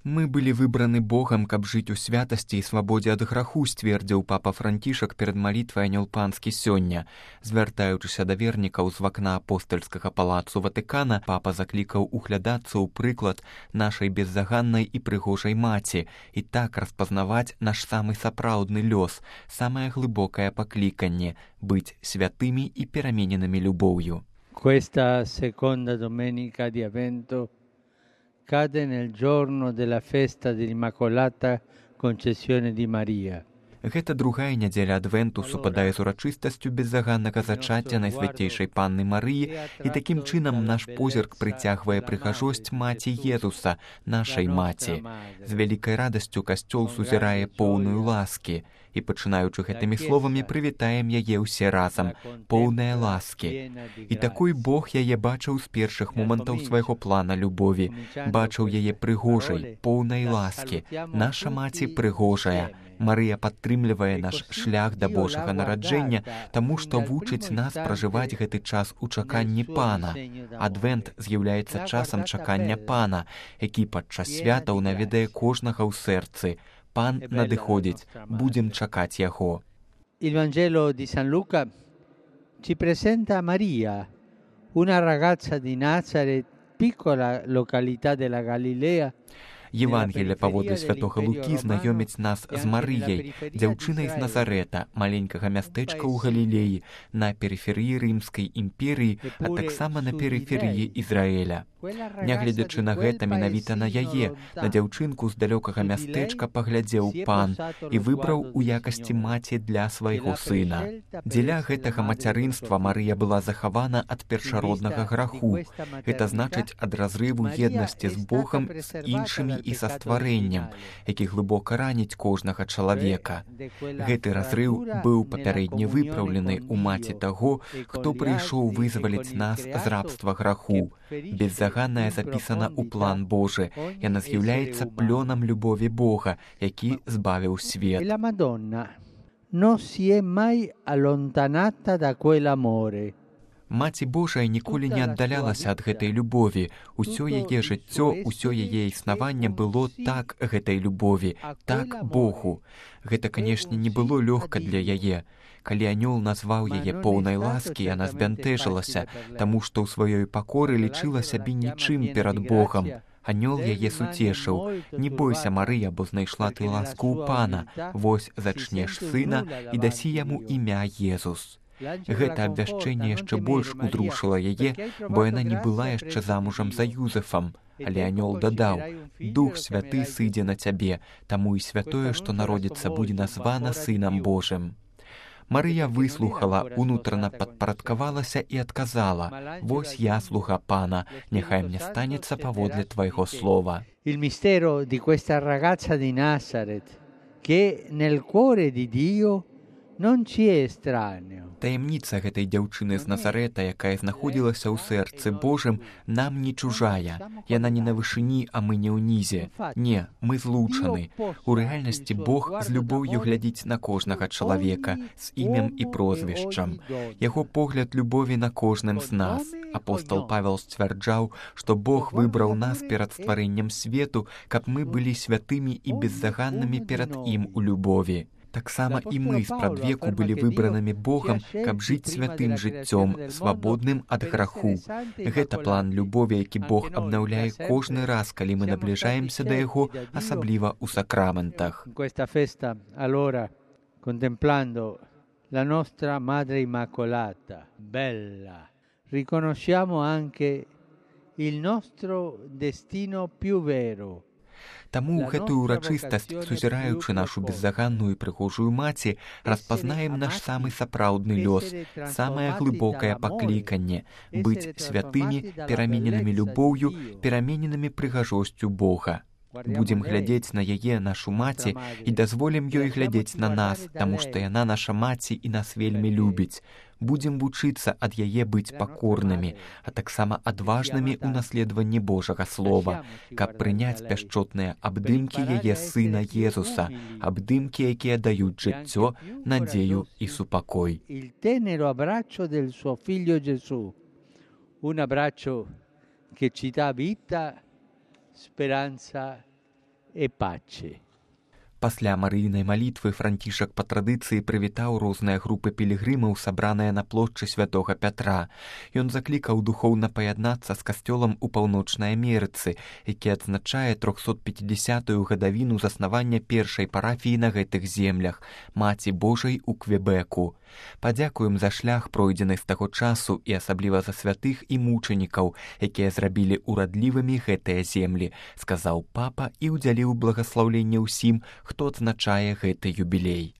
Мы былі выбраны Богам, каб жыць у святасці і свабодзе ад граху, сцвердзіў папа Францішак перад малітвай Анёл Панскі сёння. Звяртаючыся да вернікаў з вакна апостальскага палацу Ватыкана, папа заклікаў углядацца ў прыклад нашай беззаганнай і прыгожай маці і так распазнаваць наш самы сапраўдны лёс, самае глыбокае пакліканне — быць святымі і перамененымі любоўю. Questa seconda domenica di Avvento cade nel giorno della festa dell'Immacolata Concezione di Maria. Гэта другая нядзеля адвенту супадае з урачыстасцю беззаганнага зачацця Найсвяцейшай Панны Марыі, і такім чынам наш позірк прыцягвае прыгажосць Маці Езуса, нашай маці. З вялікай радасцю касцёл сузірае поўную ласкі, і пачынаючы гэтымі словамі прывітаем яе ўсе разам, поўныя ласкі. І такой Бог яе бачыў з першых момантаў свайго плана любові, бачыў яе прыгожай, поўнай ласкі. Наша маці прыгожая. Марыя падтрымлівае наш шлях да Божага нараджэння, таму што вучыць нас пражываць гэты час у чаканні Пана. Адвент з'яўляецца часам чакання Пана, які падчас святаў наведае кожнага ў сэрцы. Пан надыходзіць, будзем чакаць яго. Il Vangelo di San Luca ci presenta Maria, una ragazza di Nazareth, piccola località della Galilea. Євангелія паводле святога Лукі знаёміць нас з Марыяй, дзяўчынай з Назарэта, маленькага мястэчка ў Галілеі, на перыферыі Рымскай імперыі, а таксама на перыферыі Ізраіля. Нягледзячы на гэта, менавіта на яе, на дзяўчынку з далёкага мястэчка паглядзеў Пан і выбраў у якасці маці для свайго сына. Дзеля гэтага мацярынства Марыя была захавана ад першароднага граху. Гэта значыць ад разрыву еднасці з Богам, з іншымі і са стварэннем, які глыбока раніць кожнага чалавека. Гэты разрыў быў папярэдне выпраўлены ў маці таго, хто прыйшоў вызваліць нас з рабства граху. Беззаганная запісана ў план Божы. Яна з'яўляецца плёнам любові Бога, які збавіў свет. La Madonna non si è mai allontanata da quell'amore. Маці Божая ніколі не аддалялася ад гэтай любові. Усё яе жыццё, усё яе існаванне было так гэтай любові, так Богу. Гэта, канешне, не было лёгка для яе. Калі Анёл назваў яе поўнай ласкі, яна збянтэжылася, таму што ў сваёй пакоры лічыла сябе нічым перад Богам. Анёл яе суцешыў: «Не бойся, Марыя, бо знайшла ты ласку ў Пана. Вось зачнеш сына і дасі яму імя Езус». Гэта абвяшчэнне яшчэ больш удрушыла яе, бо яна не была яшчэ замужам за Юзефам. Але Анёл дадаў: «Дух Святы сыдзе на цябе, таму і святое, што народзіцца, будзе названа Сынам Божым». Марыя выслухала, унутрана падпарадкавалася і адказала: «Вось я, слуга Пана, няхай мне станецца паводле твайго слова». Il mistero di questa ragazza di Nazareth, che nel cuore di Dio non ci è estraneo. Таямніца гэтай дзяўчыны з Назарэта, якая знаходзілася ў сэрцы Божым, нам не чужая. Яна не на вышыні, а мы не ўнізе. Не, мы злучаны. У рэальнасці Бог з любоўю глядзіць на кожнага чалавека, з імем і прозвішчам. Яго погляд любові на кожным з нас. Апостол Павел сцвярджаў, што Бог выбраў нас перад стварэннем свету, каб мы былі святымі і беззаганнымі перад ім у любові. Таксама і мы спрадвеку былі выбранымі Богам, каб жыць святым жыццём, свабодным ад граху. Гэта план любові, які Бог абнаўляе кожны раз, калі мы набліжаемся да яго, асабліва ў сакраментах. Questa festa, allora, contemplando la nostra Madre Immacolata, bella, riconosciamo anche il nostro destino più vero. Таму гэтую урачыстасць, сузіраючы нашу беззаганную і прыгожую маці, распазнаем наш самы сапраўдны лёс, самае глыбокае пакліканне — быць святымі, перамененымі любоўю, перамененымі прыгажосцю Бога. Будзем глядзець на яе, нашу маці, і дазволім ёй глядзець на нас, таму што яна наша маці і нас вельмі любіць. Будзем вучыцца ад яе быць пакорнымі, а таксама адважнымі ў наследаванні Божага Слова, каб прыняць пяшчотныя абдымкі яе Сына Езуса, абдымкі, якія даюць жыццё, надзею і супакой. Il tenero abbraccio del suo figlio Gesù, un abbraccio che ci dà vita, speranza e pace. Пасля марыйнай малітвы Францішак па традыцыі прывітаў розныя групы пілігрымаў, сабраныя на плошчы святога Пятра. Ён заклікаў духоўна паяднацца з касцёлам у Паўночнай Амерыцы, які адзначае 350-ю гадавіну заснавання першай парафіі на гэтых землях, Маці Божай у Квебеку. Падзякуем за шлях, пройдзены з таго часу, і асабліва за святых і мучанікаў, якія зрабілі урадлівымі гэтыя землі, сказаў папа і ўдзяліў благаслаўленне ўсім, хто адзначае гэты юбілей.